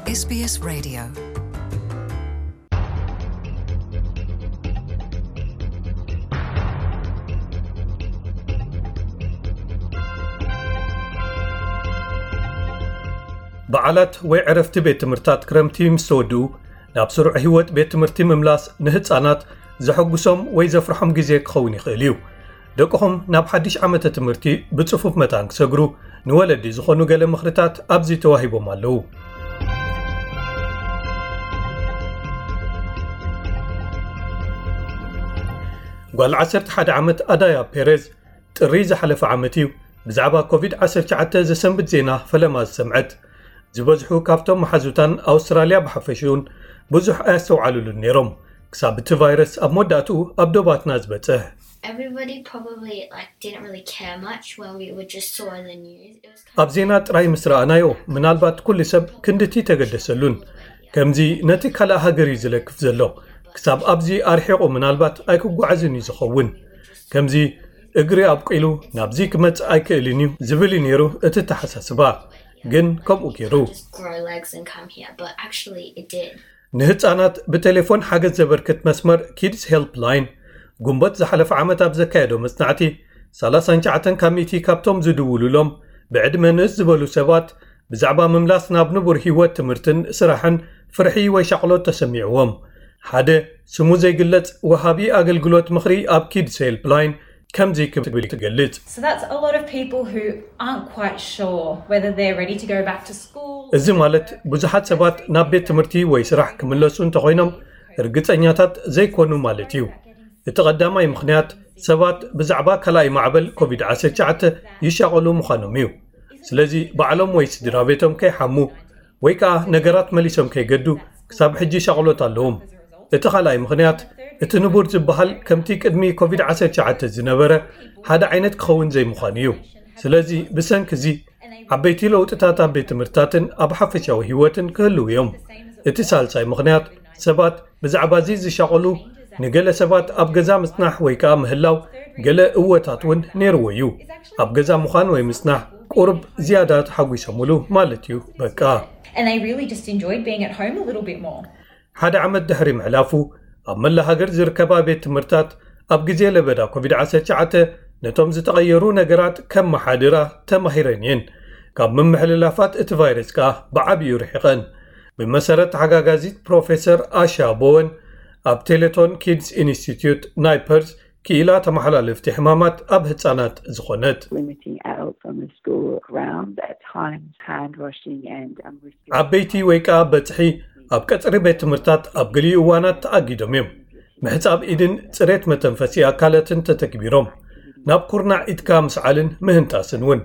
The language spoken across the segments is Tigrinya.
SBS Radio. በዓላት ወይ ዕረፍቲ ቤት ትምህርታት ክረምቲ ምስ ተወድኡ፣ ናብ ስሩዕ ህይወት ቤት ትምህርቲ ምምላስ ንህጻናት ዘሐጉሶም ወይ ዘፍርሖም ግዜ ክኸውን ይኽእል እዩ። ደቅኹም ናብ ሓድሽ ዓመተ ትምህርቲ ብጽፉፍ መታን ክሰግሩ፣ ንወለዲ ዝኾኑ ገለ ምኽርታት ኣብዚ ተዋሂቦም ኣለዉ። ጓል ዓሰርተ ሓደ ዓመት ኣዳያ ፔሬዝ፣ ጥሪ ዝሓለፈ ዓመት እዩ ብዛዕባ ኮቪድ ዓሰርተ ትሽዓተ ዘሰንብድ ዜና ፈለማ ዝሰምዐት። ዝበዝሑ ካብቶም መሓዙታን ኣውስትራልያ ብሓፈሽኡን ብዙሕ ኣየስተውዓሉሉን ነይሮም፣ ክሳብ እቲ ቫይረስ ኣብ መወዳእትኡ ኣብ ዶባትና ዝበጽሕ። Everybody probably, like, didn't really care much when we were just saw in the news. It was kind ኣብ ዜና ጥራይ ምስ ረኣናዮ፣ ምናልባት ኩሉ ሰብ ክንድቲ ተገደሰሉን። ከምዚ ነቲ ካልእ ሃገር እዩ ዝለክፍ ዘሎ። ክሳብ ኣብዚ ኣርሒቑ ምናልባት ኣይክጓዓዝን እዩ ዝኸውን። ከምዚ እግሪ ኣብቂሉ ናብዚ ክመጽእ ኣይክእልን እዩ ዝብል እዩ ነይሩ እቲ ተሓሳስባ። ግን ከምኡ ገይሩ። Just grow legs and come here, but actually it did. ንህጻናት ብቴሌፎን ሓገዝ ዘበርክት መስመር ኪድስ ሄልፕ ላይን፣ ጉንበት ዝሓለፈ ዓመት ኣብ ዘካየዶ መጽናዕቲ፣ ሰላሳን ትሽዓተን ካብ ሚእቲ ካብቶም ዝድውሉሎም ብዕድመ ንእስ ዝበሉ ሰባት፣ ብዛዕባ ምምላስ ናብ ንቡር ህይወት ትምህርትን ስራሕን ፍርሒ ወይ ሻቕሎት ተሰሚዕዎም። ሓደ ስሙ ዘይግለጽ ወሃቢ ኣገልግሎት ምኽሪ ኣብ ኪድስ ሄልፕ ላይን ከምዚ ክብል ትገልጽ። So that's a lot of people who aren't quite sure whether they're ready to go back to school. እዚ ማለት ብዙሓት ሰባት ናብ ቤት ትምህርቲ ወይ ስራሕ ክምለሱ እንተኾይኖም ርግጸኛታት ዘይኮኑ ማለት እዩ። እቲ ቀዳማይ ምኽንያት ሰባት ብዛዕባ ካልኣይ ማዕበል ኮቪድ ዓሰርተ ትሽዓተ ይሻቐሉ ምዃኖም እዩ። ስለዚ ባዕሎም ወይ ስድራ ቤቶም ከይሓሙ ወይ ከኣ ነገራት መሊሶም ከይገዱ ክሳብ ሕጂ ሻቕሎት ኣለዎም። እቲ ካልኣይ ምኽንያት እቲ ንቡር ዝበሃል ከምቲ ቅድሚ ኮቪድ ዓሰርተ ትሽዓተ ዝነበረ ሓደ ዓይነት ክኸውን ዘይምዃኑ እዩ። ስለዚ ብሰንኪ እዚ ዓበይቲ ለውጥታት ኣብ ቤት ትምህርትታትን ኣብ ሓፈሻዊ ህይወትን ክህልው እዮም። እቲ ሳልሳይ ምኽንያት ሰባት ብዛዕባ እዚ ዝሻቐሉ ንገለ ሰባት ኣብ ገዛ ምጽናሕ ወይ ከኣ ምህላው ገለ እወታት እውን ነይርዎ እዩ። ኣብ ገዛ ምዃን ወይ ምጽናሕ ቁሩብ ዝያዳ ተሓጒሶምሉ ማለት እዩ በቃ። And they really just enjoyed being at home a little bit more. ሓደ ዓመት ድሕሪ ምሕላፉ ኣብ መላ ሃገር ዝርከባ ቤት ትምህርታት ኣብ ግዜ ለበዳ ኮቪድ ዓሰርተ ትሽዓተ ነቶም ዝተቐየሩ ነገራት ከመሓድራ ተማሂረን እየን። ካብ ምምሕልላፋት እቲ ቫይረስ ከኣ ብዓብዩ ርሒቐን። ብመሰረት ተሓጋጋዚት ፕሮፌሰር ኣሻ ቦወን ኣብ ቴሌቶን ኪድስ ኢንስቲትዩት ናይ ፐርዝ ክኢላ ተመሓላለፍቲ ሕማማት ኣብ ህጻናት ዝኾነት። Limiting adults on the school grounds at times, hand washing and um, ዓበይቲ ወይ ከኣ በጽሒ ኣብ ቀጽሪ ቤት ትምህርታት ኣብ ገሊኡ እዋናት ተኣጊዶም እዮም። ምሕጻብ ኢድን ጽሬት መተንፈሲ ኣካላትን ተተግቢሮም። ናብ ኩርናዕ ኢድካ ምስዓልን ምህንጣስን እውን።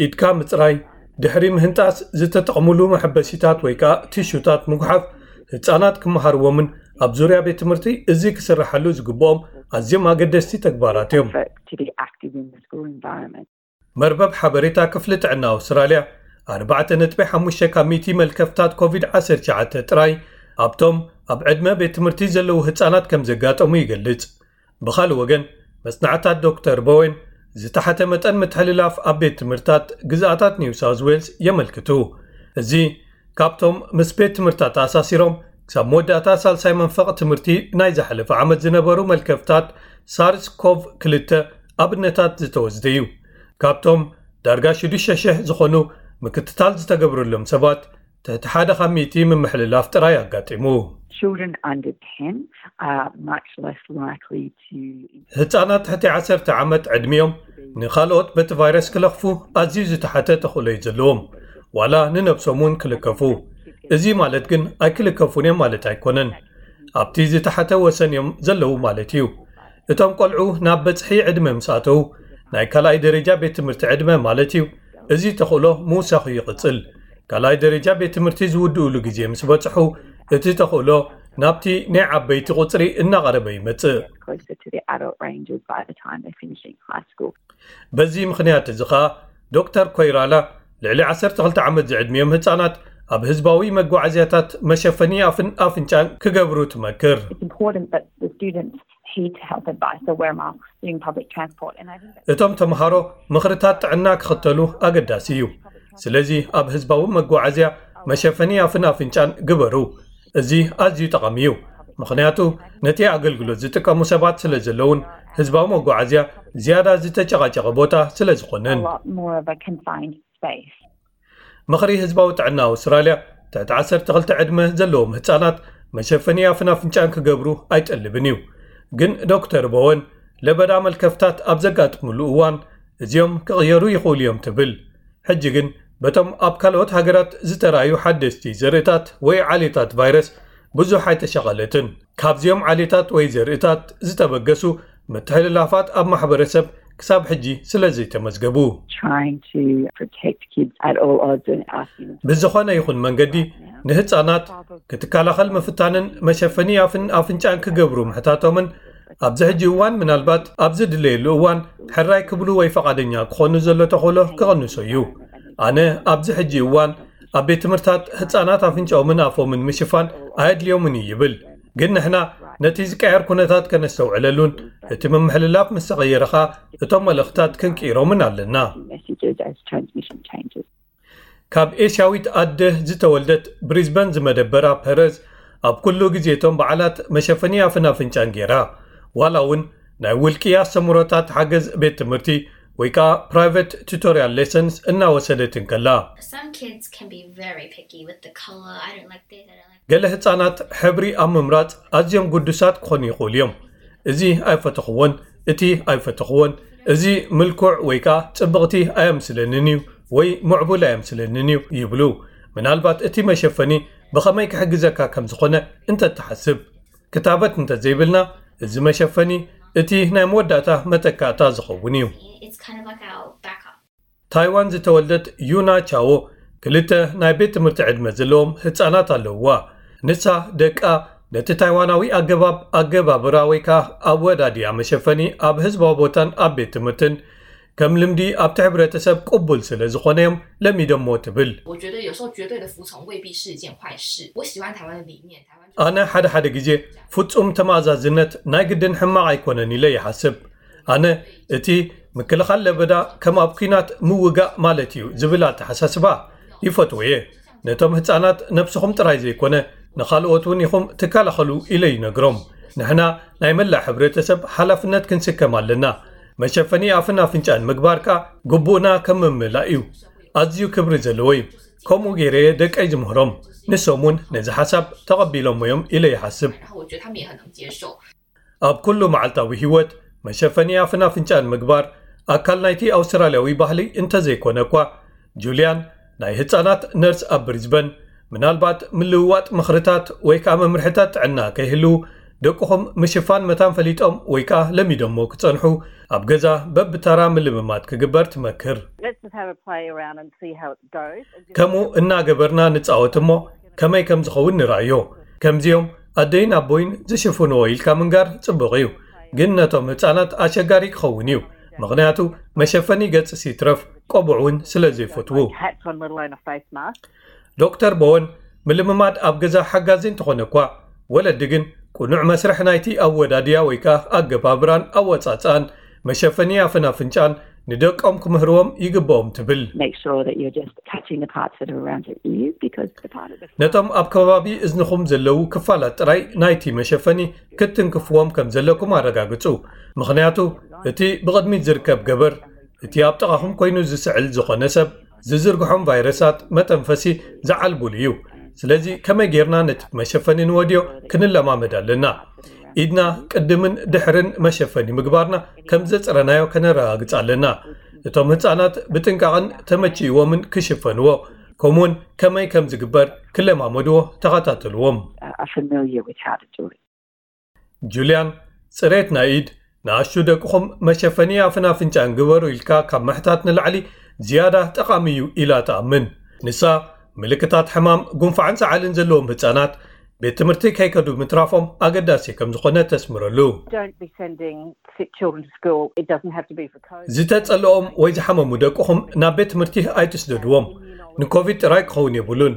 ኢድካ ምጽራይ፣ ድሕሪ ምህንጣስ ዝተጠቕሙሉ መሐበሲታት ወይ ከኣ ቲሹታት ምጉሓፍ ህጻናት ክመሃርዎምን ኣብ ዙርያ ቤት ትምህርቲ እዚ ክስርሓሉ ዝግብኦም ኣዝዮም ኣገደስቲ ተግባራት እዮም። Effort to be active in the school environment. መርበብ ሓበሬታ ክፍሊ ጥዕና ኣውስትራልያ ኣርባዕተ ነጥቢ ሓሙሽተ ካብ ሚእቲ መልከፍታት ኮቪድ ዓሰርተ ትሽዓተ ጥራይ ኣብቶም ኣብ ዕድመ ቤት ትምህርቲ ዘለዉ ህጻናት ከም ዘጋጠሙ ይገልጽ። ብኻልእ ወገን መጽናዕታት ዶክተር ቦዌን ዝተሓተ መጠን ምትሕልላፍ ኣብ ቤት ትምህርታት ግዝኣታት ኒው ሳውዝ ዌልስ የመልክቱ። እዚ ካብቶም ምስ ቤት ትምህርታት ተኣሳሲሮም ክሳብ መወዳእታ ሳልሳይ መንፈቕ ትምህርቲ ናይ ዝሓለፈ ዓመት ዝነበሩ መልከፍታት ሳርስ ኮቭ ክልተ ኣብነታት ዝተወስደ እዩ። ካብቶም ዳርጋ ሽዱሽተ ሽሕ ዝኾኑ ምክትታል ዝተገብረሎም ሰባት ትሕቲ ሓደ ካብ ሚእቲ ምምሕልላፍ ጥራይ ኣጋጢሙ። Children under ten are much less likely to ህጻናት ትሕቲ ዓሰርተ ዓመት ዕድሚኦም ንኻልኦት በቲ ቫይረስ ክለኽፉ ኣዝዩ ዝተሓተ ተኽእሎ እዩ ዘለዎም፣ ዋላ ንነብሶም እውን ክልከፉ። እዚ ማለት ግን ኣይክልከፉን እዮም ማለት ኣይኮነን። ኣብቲ ዝተሓተ ወሰን እዮም ዘለዉ ማለት እዩ። እቶም ቆልዑ ናብ በጽሒ ዕድመ ምስ ኣተዉ፣ ናይ ካልኣይ ደረጃ ቤት ትምህርቲ ዕድመ ማለት እዩ፣ እዚ ተኽእሎ ምውሳኹ ይቕጽል። ካልኣይ ደረጃ ቤት ትምህርቲ ዝውድእሉ ግዜ ምስ በጽሑ፣ እቲ ተኽእሎ ናብቲ ናይ ዓበይቲ ቁጽሪ እናቐረበ ይመጽእ። Closer to the adult ranges by the time they're finishing high school. በዚ ምኽንያት እዚ ኸኣ ዶክተር ኮይራላ ልዕሊ ዓሰርተ ክልተ ዓመት ዝዕድሚኦም ህጻናት ኣብ ህዝባዊ መጓዓዝያታት መሸፈኒ ኣፍን ኣፍንጫን ክገብሩ ትመክር። It's important that the students heed to health advice, so wear masks during public transport. And I think that እቶም ተምሃሮ ምኽርታት ጥዕና ክኽተሉ ኣገዳሲ እዩ። ስለዚ ኣብ ህዝባዊ መጓዓዝያ መሸፈኒ ኣፍን ኣፍንጫን ግበሩ። እዚ ኣዝዩ ጠቓሚ እዩ፣ ምኽንያቱ ነቲ ኣገልግሎት ዝጥቀሙ ሰባት ስለ ዘለውን ህዝባዊ መጓዓዝያ ዝያዳ ዝተጨቓጨቐ ቦታ ስለ ዝኾነን። A lot more of a confined space. ምኽሪ ህዝባዊ ጥዕና ኣውስትራልያ ትሕቲ ዓሰርተ ክልተ ዕድመ ዘለዎም ህፃናት መሸፈኒ ኣፍን ኣፍንጫን ክገብሩ ኣይጠልብን እዩ። ግን ዶክተር ቦወን ለበዳ መልከፍታት ኣብ ዘጋጥሙሉ እዋን እዚኦም ክቕየሩ ይኽእሉ እዮም ትብል። ሕጂ ግን በቶም ኣብ ካልኦት ሃገራት ዝተራእዩ ሓደስቲ ዘርእታት ወይ ዓሌታት ቫይረስ ብዙሕ ኣይተሸቐለትን። ካብዚኦም ዓሌታት ወይ ዘርእታት ዝተበገሱ ምትሕልላፋት ኣብ ማሕበረሰብ ክሳብ ሕጂ ስለ ዘይተመዝገቡ። Trying to protect kids at all odds and asking them to ብዝኾነ ይኹን መንገዲ ንህፃናት ክትከላኸል ምፍታንን መሸፈኒ ኣፍን ኣፍንጫን ክገብሩ ምሕታቶምን ኣብዚ ሕጂ እዋን ምናልባት ኣብ ዝድለየሉ እዋን ሕራይ ክብሉ ወይ ፈቓደኛ ክኾኑ ዘሎ ተኽእሎ ክቐንሶ እዩ። ኣነ ኣብዚ ሕጂ እዋን ኣብ ቤት ትምህርታት ህፃናት ኣፍንጫኦምን ኣፎምን ምሽፋን ኣየድልዮምን እዩ ይብል። ግን ንሕና ነቲ ዝቀየር ኩነታት ከነስተውዕለሉን እቲ ምምሕልላፍ ምስ ተቐየረ ኸኣ እቶም መልእኽታት ክንቅይሮምን ኣለና። messages as transmission changes. ካብ ኤስያዊት ኣደ ዝተወልደት ብሪዝበን ዝመደበራ ፐረዝ ኣብ ኩሉ ግዜ እቶም በዓላት መሸፈኒ ኣፍን ኣፍንጫን ገይራ ዋላ እውን ናይ ውልቂ ኣስተምህሮታት ሓገዝ ቤት ትምህርቲ ወይ ከዓ private tutorial lessons እናወሰደት እንከላ Some kids can be very picky with the color. I don't like this, I don't like ገለ ህፃናት ሕብሪ ኣብ ምምራፅ ኣዝዮም ግዱሳት ክኾኑ ይኽእሉ እዮም። እዚ ኣይፈተኽዎን፣ እቲ ኣይፈተኽዎን፣ እዚ ምልኩዕ ወይ ከዓ ፅብቕቲ ኣየምስለንን እዩ ወይ ምዕቡል ኣየምስለንን እዩ ይብሉ። ምናልባት እቲ መሸፈኒ ብኸመይ ክሕግዘካ ከም ዝኾነ እንተትሓስብ። ክታበት እንተዘይብልና እዚ መሸፈኒ እቲ ናይ መወዳእታ መተካእታ ዝኸውን እዩ። It's kind of like our backup. ታይዋን ዝተወልደት ዩና ቻዎ ክልተ ናይ ቤት ትምህርቲ ዕድመ ዘለዎም ህፃናት ኣለውዋ። ንሳ ደቃ ነቲ ታይዋናዊ ኣገባብ ኣገባብራ ወይ ከዓ ኣወዳድያ መሸፈኒ ኣብ ህዝባዊ ቦታን ኣብ ቤት ትምህርትን ከም ልምዲ ኣብቲ ሕብረተሰብ ቅቡል ስለ ዝኾነ እዮም ለሚዶሞ ትብል። 我觉得有时候绝对的服从未必是一件坏事。我喜欢台湾的理念，台湾 ኣነ ሓደ ሓደ ግዜ ፍጹም ተማእዛዝነት ናይ ግድን ሕማቕ ኣይኮነን ኢለ ይሓስብ። ኣነ እቲ ምክልኻል ለበዳ ከም ኣብ ኲናት ምውጋእ ማለት እዩ ዝብል ኣተሓሳስባ ይፈትዎ እየ። ነቶም ህፃናት ነብስኹም ጥራይ ዘይኮነ ንኻልኦት እውን ኢኹም ትከላኸሉ ኢለ ይነግሮም። ንሕና ናይ መላእ ሕብረተሰብ ሓላፍነት ክንስከም ኣለና። መሸፈኒ ኣፍን ኣፍንጫን ምግባር ከኣ ግቡእና ከም ምምላእ እዩ። ኣዝዩ ክብሪ ዘለዎ እዩ። ከምኡ ገይረ እየ ደቀይ ዝምህሮም። ንሶም እውን ነዚ ሓሳብ ተቐቢሎሞ እዮም ኢለ ይሓስብ። 然后我觉得他们也很能接受。 ኣብ ኩሉ መዓልታዊ ህይወት መሸፈኒ ኣፍን ኣፍንጫን ምግባር ኣካል ናይቲ ኣውስትራልያዊ ባህሊ እንተዘይኮነ እኳ ጁልያን ናይ ህፃናት ነርስ ኣብ ብሪዝበን ምናልባት ምልውዋጥ ምኽርታት ወይ ከዓ መምርሕታት ጥዕና ከይህልው ደቅኹም ምሽፋን መታን ፈሊጦም ወይ ከዓ ለሚዶሞ ክፀንሑ ኣብ ገዛ በብተራ ምልምማድ ክግበር ትመክር። Let's just have a play around and see how it goes. ከምኡ እናገበርና ንፃወት እሞ ከመይ ከም ዝኸውን ንርኣዮ። ከምዚኦም ኣደይን ኣቦይን ዝሽፍንዎ ኢልካ ምንጋር ፅቡቕ እዩ፣ ግን ነቶም ህፃናት ኣሸጋሪ ክኸውን እዩ። ምኽንያቱ መሸፈኒ ገጽ ሲትረፍ ቆቡዕ እውን ስለ ዘይፈትዉ። Hats on, let alone a face mask. ዶክተር ቦወን ምልምማድ ኣብ ገዛ ሓጋዚ እንተኾነ እኳ ወለዲ ግን ቅኑዕ መስርሕ ናይቲ ኣወዳድያ ወይ ከዓ ኣገባብራን ኣወፃፅኣን መሸፈኒ ኣፍን ኣፍንጫን ንደቆም ክምህርዎም ይግብኦም ትብል። Make sure that you're just touching the parts that are around your ears because the part of the ነቶም ኣብ ከባቢ እዝንኹም ዘለዉ ክፋላት ጥራይ ናይቲ መሸፈኒ ክትንክፍዎም ከም ዘለኩም ኣረጋግጹ። ምኽንያቱ እቲ ብቕድሚት ዝርከብ ገበር እቲ ኣብ ጥቓኹም ኮይኑ ዝስዕል ዝኾነ ሰብ ዝዝርግሖም ቫይረሳት መተንፈሲ ዝዓልቡሉ እዩ። ስለዚ ከመይ ጌርና ነቲ መሸፈኒ ንወድዮ ክንለማመድ ኣለና። ኢድና ቅድምን ድሕርን መሸፈኒ ምግባርና ከም ዘጽረናዮ ከነረጋግጽ ኣለና። እቶም ህጻናት ብጥንቃቕን ተመችእዎምን ክሽፈንዎ ከምኡውን ከመይ ከም ዝግበር ክለማመድዎ ተኸታተልዎም። Are familiar with how to do it. ጁልያን ጽሬት ናይ ኢድ ንኣሽቱ ደቅኹም መሸፈኒ ኣፍን ኣፍንጫን ግበሩ ኢልካ ካብ ምሕታት ንላዕሊ ዝያዳ ጠቓሚ እዩ ኢላ ትኣምን። ንሳ ምልክታት ሕማም ጉንፋዕን ሰዓልን ዘለዎም ህጻናት ቤት ትምህርቲ ከይከዱ ምትራፎም ኣገዳሲ ከም ዝኾነ ተስምረሉ። Don't be sending sick children to school. It doesn't have to be for COVID. ዝተጸልኦም ወይ ዝሓመሙ ደቅኹም ናብ ቤት ትምህርቲ ኣይትስደድዎም። ንኮቪድ ጥራይ ክኸውን የብሉን።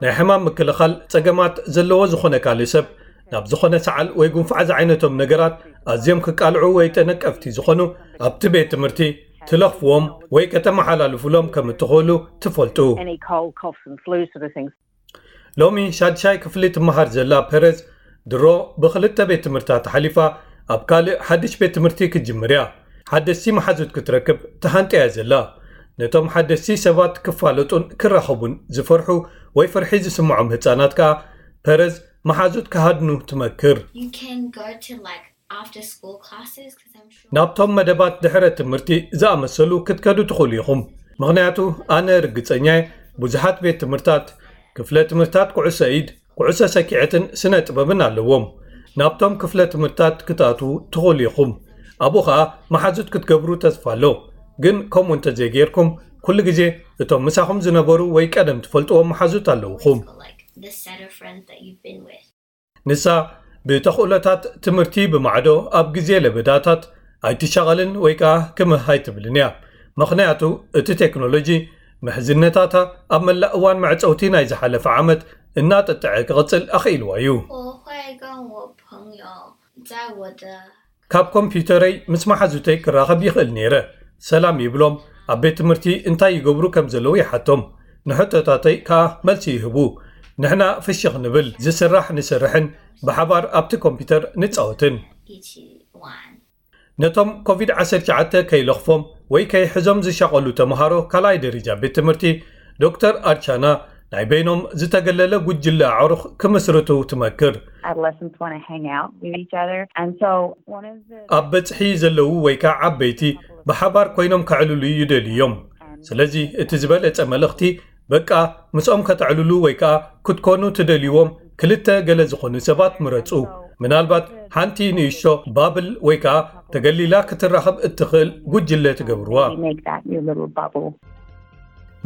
ናይ ሕማም ምክልኻል ጸገማት ዘለዎ ዝኾነ ካልእ ሰብ ናብ ዝኾነ ሰዓል ወይ ጉንፋዕ ዝዓይነቶም ነገራት ኣዝዮም ክቃልዑ ወይ ተነቀፍቲ ዝኾኑ ኣብቲ ቤት ትምህርቲ ትለኽፍዎም ወይ ከተመሓላልፉሎም ከም እትኽእሉ ትፈልጡ። Any cold, coughs and flu sort of things. ሎሚ ሻድሻይ ክፍሊ ትመሃር ዘላ ፐረዝ ድሮ ብኽልተ ቤት ትምህርታት ሓሊፋ ኣብ ካልእ ሓድሽ ቤት ትምህርቲ ክትጅምር እያ። ሓደስቲ መሓዙት ክትረክብ ተሃንጥያ እያ ዘላ። ነቶም ሓደስቲ ሰባት ክፋለጡን ክራኸቡን ዝፈርሑ ወይ ፍርሒ ዝስምዖም ህጻናት ከኣ ፐረዝ መሓዙት ክሃድኑ ትመክር። You can go to like after school classes because I'm sure. ናብቶም መደባት ድሕረ ትምህርቲ ዝኣመሰሉ ክትከዱ ትኽእሉ ኢኹም። ምኽንያቱ ኣነ ርግጸኛ እየ፣ ብዙሓት ቤት ትምህርታት፣ ክፍለ ትምህርታት ኩዕሶ ኢድ፣ ኩዕሶ ሰኪዐትን ስነ ጥበብን ኣለዎም። ናብቶም ክፍለ ትምህርታት ክትኣትዉ ትኽእሉ ኢኹም። ኣብኡ ኸኣ መሓዙት ክትገብሩ ተስፋ ኣሎ። ግን ከምኡ እንተዘይጌርኩም፣ ኩሉ ግዜ እቶም ምሳኹም ዝነበሩ ወይ ቀደም ትፈልጥዎም መሓዙት ኣለውኹም። Like the set of friends that you've been with. ንሳ ብተኽእሎታት ትምህርቲ ብማዕዶ ኣብ ግዜ ለበዳታት ኣይትሻቐልን ወይ ከኣ ክምህ ኣይትብልን እያ። ምኽንያቱ እቲ ቴክኖሎጂ ምሕዝነታታ ኣብ መላእ እዋን መዕጸውቲ ናይ ዝሓለፈ ዓመት እናጠጥዐ ክቕጽል ኣኽኢልዋ እዩ። 我会跟我朋友在我的 ካብ ኮምፒውተረይ ምስ መሓዙተይ ክራኸብ ይኽእል ነይረ። ሰላም ይብሎም፣ ኣብ ቤት ትምህርቲ እንታይ ይገብሩ ከም ዘለዉ ይሓቶም። ንሕቶታተይ ከኣ መልሲ ይህቡ። ንሕና ፍሽኽ ንብል፣ ዝስራሕ ንሰርሕን ብሓባር ኣብቲ ኮምፒውተር ንጻወትን። 一起玩。 ነቶም ኮቪድ ዓሰርተ ትሽዓተ ከይለኽፎም ወይ ከይሕዞም ዝሻቐሉ ተምሃሮ ካልኣይ ደረጃ ቤት ትምህርቲ ዶክተር ኣርቻና ናይ በይኖም ዝተገለለ ጉጅለ ኣዕሩኽ ክምስርቱ ትመክር። Adolescents want to hang out with each other. And so one of the ኣብ በጽሒ ዘለዉ ወይ ከዓ ዓበይቲ ብሓባር ኮይኖም ከዕልሉ ይደልዩ እዮም። ስለዚ እቲ ዝበለጸ መልእኽቲ በቃ ምስኦም ከተዕልሉ ወይ ከዓ ክትኮኑ ትደልይዎም ክልተ ገለ ዝኾኑ ሰባት ምረጹ። ምናልባት ሓንቲ ንእሽቶ ባብል ወይ ከዓ ተገሊላ ክትራኸብ እትኽእል ጉጅለ ትገብርዋ። We make that your little bubble.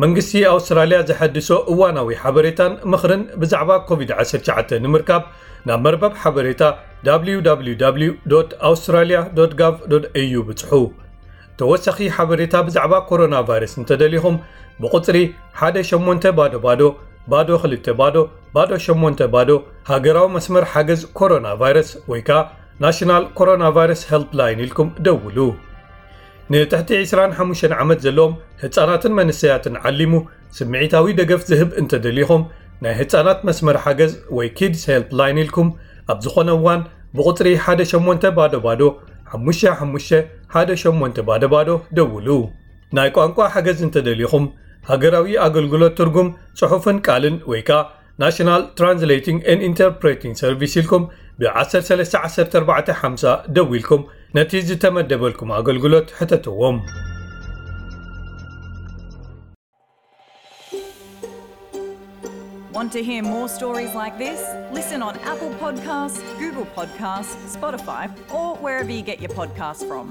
መንግስቲ ኣውስትራልያ ዘሐድሶ እዋናዊ ሓበሬታን ምኽርን ብዛዕባ ኮቪድ ዓሰርተ ትሽዓተ ንምርካብ ናብ መርበብ ሓበሬታ www australia gov au ብጽሑ። ተወሳኺ ሓበሬታ ብዛዕባ ኮሮና ቫይረስ እንተደሊኹም ብቁጽሪ ሓደ ሸሞንተ ባዶ ባዶ ባዶ ክልተ ባዶ ባዶ ሸሞንተ ባዶ ሃገራዊ መስመር ሓገዝ ኮሮና ቫይረስ ወይ ከዓ ናሽናል ኮሮና ቫይረስ ሄልፕላይን ኢልኩም ደውሉ። ንትሕቲ ዕስራን ሓሙሽተን ዓመት ዘለዎም ህጻናትን መንሰያትን ዓሊሙ ስምዒታዊ ደገፍ ዝህብ እንተደሊኹም ናይ ህጻናት መስመር ሓገዝ ወይ ኪድስ ሄልፕላይን ኢልኩም ኣብ ዝኾነ እዋን ብቁጽሪ ሓደ ሸሞንተ ባዶ ባዶ ሓሙሽተ ሓሙሽተ ሓደ ሸሞንተ ባዶ ባዶ ደውሉ። ናይ ቋንቋ ሓገዝ እንተደሊኹም ሃገራዊ ኣገልግሎት ትርጉም ጽሑፍን ቃልን ወይ ከዓ ናሽናል ትራንስሌቲንግ ኤንድ ኢንተርፕሬቲንግ ሰርቪስ ኢልኩም ብ ዓሰርተ ሰለስተ ዓሰርተ ኣርባዕተ ሓምሳ ደዊልኩም ነቲ ዝተመደበልኩም ኣገልግሎት ሕተትዎም። Want to hear more stories like this? Listen on Apple Podcasts, Google Podcasts, Spotify, or wherever you get your podcasts from.